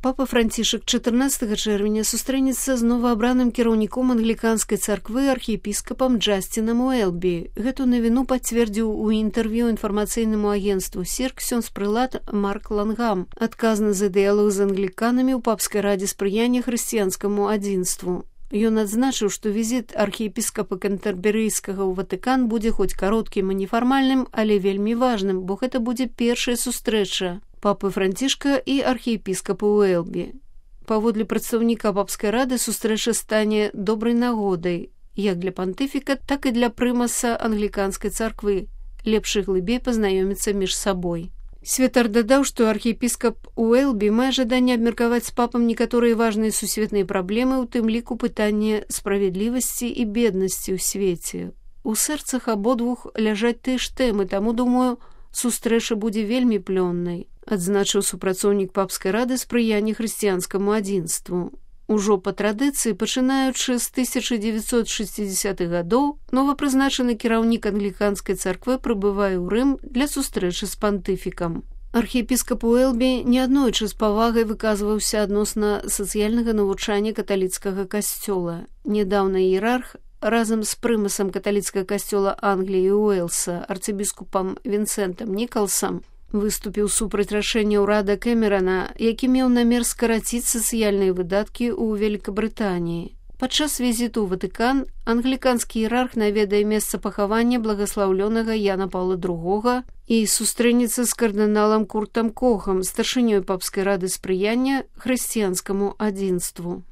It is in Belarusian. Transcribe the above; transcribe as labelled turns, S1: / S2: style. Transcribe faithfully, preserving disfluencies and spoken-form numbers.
S1: Папа Францішак чатырнаццатага чэрвеня сустрэнецца з новаабраным кіраўніком англіканскай царквы архіепіскапам Джасцінам Уэлбі. Гэту навіну пацвердзіў у інтэрв'ю інфармацыйнаму агенцтву «Сир» ксёндз-прылад Марк Лангам, адказны за дыялог з англіканамі ў папскай радзе спрыяння хрысціянскаму адзінству. Ён адзначыў, што візіт архіепіскапа Кэнтэрберыйскага ў Ватыкан будзе хоць кароткім і нефармальным, але вельмі важным, бо гэта будзе першая сустрэча папы Францішка і архіепіскапа Уэлбі. Паводле прадстаўніка папскай рады сустрэча стане добрай нагодай як для пантыфіка, так і для прымаса англіканскай царквы, лепш і глыбей пазнаёміцца між сабой. Святар дадаў, што архіепіскап Уэлбі мае жаданне абмеркаваць з папам некаторыя важныя сусветныя праблемы, у тым ліку пытанне справядлівасці і беднасці ў свеце. У сэрцах абодвух ляжаць тыя ж тэмы, таму, думаю, сустрэча будзе вельмі плённай, адзначыў супрацоўнік папскай рады спрыяння хрысціянскаму адзінству. Ужо па традыцыі, пачынаючы з тысяча дзевяцьсот шэсцідзесятых гадоў, новапрызначаны кіраўнік англіканскай царквы прыбывае ў Рым для сустрэчы з пантыфікам. Архіепіскап Уэлбі неаднойчы з павагай выказваўся адносна сацыяльнага навучання каталіцкага касцёла. Нядаўна іерарх разам з прымасам каталіцкага касцёла Англіі і Уэльса, арцыбіскупам Вінсентам Нікалсам, выступіў супраць рашэння ўрада Кэмерана, які меў намер скараціць сацыяльныя выдаткі ў Вялікабрытаніі. Падчас візіту ў Ватыкан англіканскі іерарх наведае месца пахавання благаслаўлёнага Яна Паўла другога і сустрэнецца з кардыналам Куртам Кохам, старшынёй папскай рады спрыяння хрысціянскаму адзінству.